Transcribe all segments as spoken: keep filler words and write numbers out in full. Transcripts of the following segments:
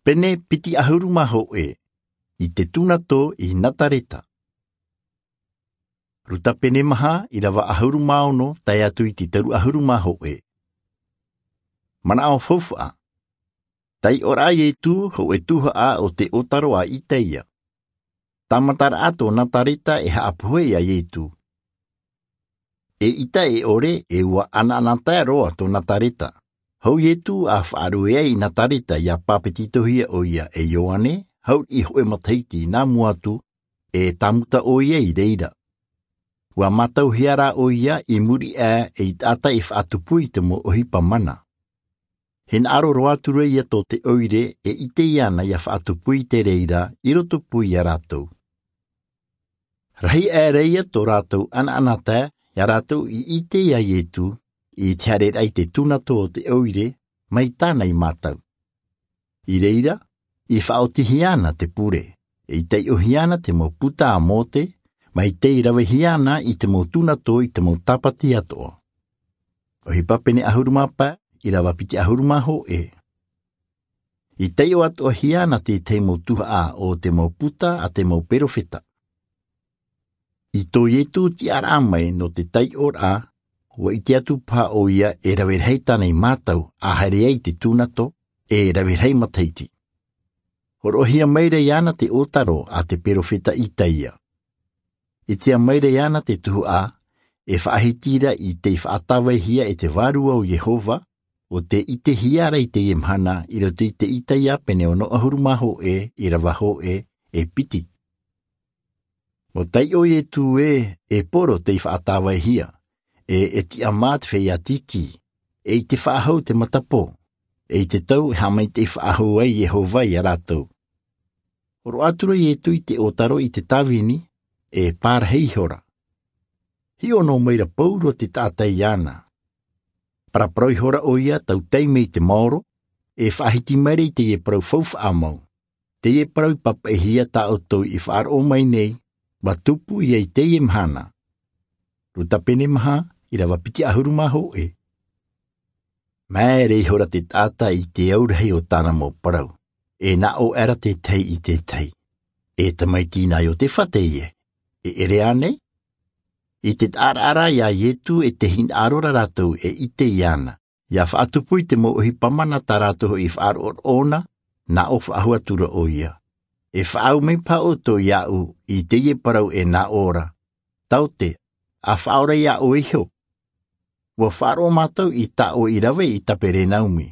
Pene piti ʻahuru mā hōʻē. I te tūnato i Nazareta. Ruta pene maha, ʻirava ʻahuru mā ono tae atu i te toru ʻahuru mā hōʻē. Manaʻo faufaʻa. Taiʻoraʻa a Iesu, hōʻē tuhaʻa o te ʻōtaro a Isaia. Tāmataraʻa tō Nazareta e haʻapohe ia Iesu. E ʻita e ʻore, e ʻua ʻanaʻanatae roa tō Nazareta. Hou Iesu a faʻaruʻe ai i Nazareta ʻia pāpetitohia ʻoia e Ioane, hou i hōʻē matahiti nā mua atu, e tāmuta ʻoia i reira. ʻUa mātauhia rā ʻoia i muri aʻe ei taʻata e faʻatupu i te mau ʻohipa mana. Hinaʻaro roa atu ra ia tō te ʻoire e ʻite iāna ʻia faʻatupu i te reira i rotopū ia rātou. Rahi aʻe ra ia tō rātou ʻanaʻanatae, ia rātou i ʻite ia Iesu, i te haereraʻa i te tūnato o te ʻoire, mai tāna i mātau. I reira, i faʻaotihia ana te pure, i taiʻohia ana te mau puta a Mose, mai tei ravehia ana i te mau tūnato i te mau tāpati atoʻa. ʻOhipa pene ʻahuru mā pae, ʻirava piti ʻahuru mā hōʻē. I taiʻo atoʻahia ana te tahi mau tuhaʻa o te mau puta a te mau perofeta. I tō Iesu tiʻaraʻa mai nō te taiʻoraʻa, ʻua ʻite atu paha ʻoia e rave rahi tāna i mātau a haere ai i te tūnato, e rave rahi matahiti. Hōroʻahia mai ra iāna te ʻōtaro a te perofeta Isaia. ʻItea mai ra iāna te tuhaʻa, e faʻahiti ra i tei faʻatāvaihia e te Vārua o Iehova, ʻo tē ʻitehia ra i teie mahana i roto i te Isaia pene ono ʻahuru mā hōʻē, ʻirava hōʻē, e piti. ʻUa taiʻo Iesu ē, e poro tei faʻatāvaihia, e, e tiʻamā te feiā tītī, e i te faʻahou te matapō, e i te tau e haʻamaitaʻi faʻahou ai Iehova ia rātou. Hōroʻa atu ra Iesu i te ʻōtaro i te tāvini, e pārahi ihora. Hiʻo noa mai ra pauroa te taʻata iāna. Paraparau ihora ʻoia tautai mai i te maoro, e faʻahiti mai ra i teie parau faufaʻa mau. Teie parau i papaʻihia tā ʻoutou i faʻaroʻo mai nei, ʻua tupu ia i teie mahana. Luka pene maha, ʻirava piti ʻahuru mā hōʻē. Māere ihora te taʻata i te aurahi o tāna mau parau, e nā ʻō aʻera te tahi i te tahi. E tamaiti nā Iosefa teie, e ʻere ānei? I te taʻaraʻa ra iā Iesu e te hinaʻaro ra rātou e ʻite iāna, ʻia faʻatupu i te mau ʻohipa mana tā rātou hoʻi i faʻaroʻo ʻōna, nā ʻō faʻahou atu ra ʻoia. E faʻaau mai paha ʻoutou iāʻu i teie parau e nā ʻō ra. Taote, ʻa faʻaora iā ʻoe iho. ʻUa faʻaroʻo mātou i tā ʻoe i rave i Kaperenaumi,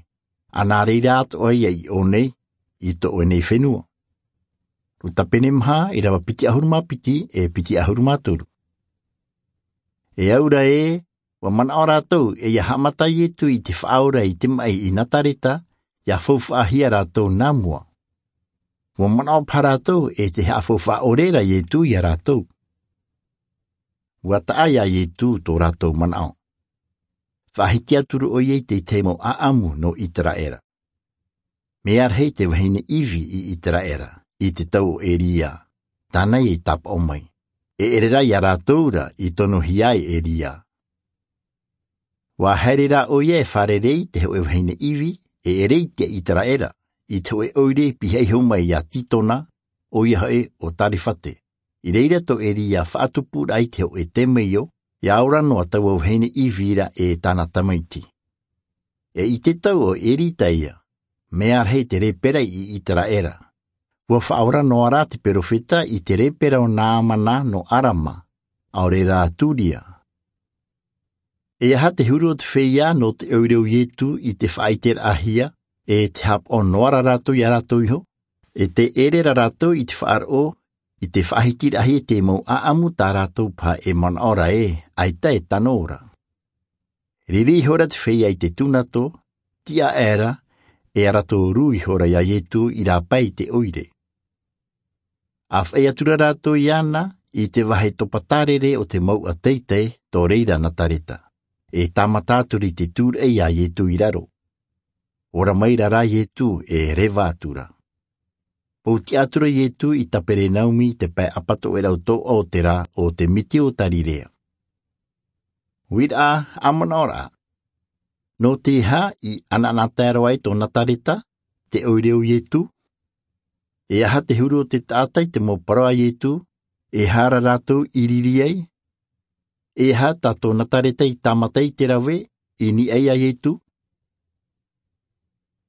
ʻa nā reira atoʻa ia i ʻō nei, i tō ʻoe nei fenua. Luka pene maha, ʻirava piti ʻahuru mā piti, e piti ʻahuru mā toru. E au ra ē, ʻua manaʻo rātou, e ʻia haʻamata Iesu i te faʻaora i te maʻi i Nazareta, ʻia faufaʻahia rātou nā mua. ʻUa manaʻo paha rātou, e tē haʻafaufaʻa ʻore ra Iesu iā rātou. ʻUa taʻa iā Iesu tō rātou manaʻo. Faʻahiti atu ra ʻoia i te tahi mau ʻāʻamu nō Iseraela. Mea rahi te vahine Ivi i Iseraela, i te tau o Elia, tāna ia i tāpaʻo mai. E ʻere rā iā rātou ra i tonohia ai Elia. ʻUa haere rā ʻoia e fārerei i te hōʻē vahine Ivi, e ʻere i te Iseraela, i te hōʻē ʻoire i pihaʻi iho mai iā Sitona, ʻoia hoʻi ʻo Sarefate. I reira tō Elia faʻatupuraʻa i te hōʻē temeio, ʻia ora noa taua vahine Ivi ra e tāna tamaiti. E i te tau o Erisa ia, mea rahi te lepera i Iseraela. ʻUa faʻaora noa rā te perofeta i te lepera o Naamana nō Arama, ʻaore rā Suria. E aha te huru o te feiā nō te ʻoire o Iesu i te faʻaʻiteraʻahia, e tē haʻapaʻo noa ra rātou iā rātou iho, e tē ʻere ra rātou i te faʻaroʻo, i te faʻahitiraʻahia i te mau ʻāʻamu tā rātou paha e manaʻo ra ē, ʻaita e tano ra. Riri ihora te feiā i te tūnato, tiʻa aʻera, e ara tōrū ihora iā Iesu i rāpae i te ʻoire. ʻA faʻi atu ra rātou iāna i te vāhi topa tārere o te mouʻa teitei, tō reira Nazareta, e tāmata atu ra i te tūraʻi iā Iesu i raro. Ora mai ra rā Iesu e reva atu ra. Pōtiʻa atu ra Iesu i Kaperenaumi i te pae ʻapatoʻerau toʻa o te rā o te miti o Kalilaia. Uiraʻa, ʻa manaʻo ra. Nō te aha i ʻanaʻanatae roa ai tō Nazareta, te ʻoire o Iesu? E aha te huru o te taʻata i te mau parau a Ietu? E aha rā rātou i riri ai? E aha tā tōna tareta i tāmata i te rave i niʻa iā Ietu?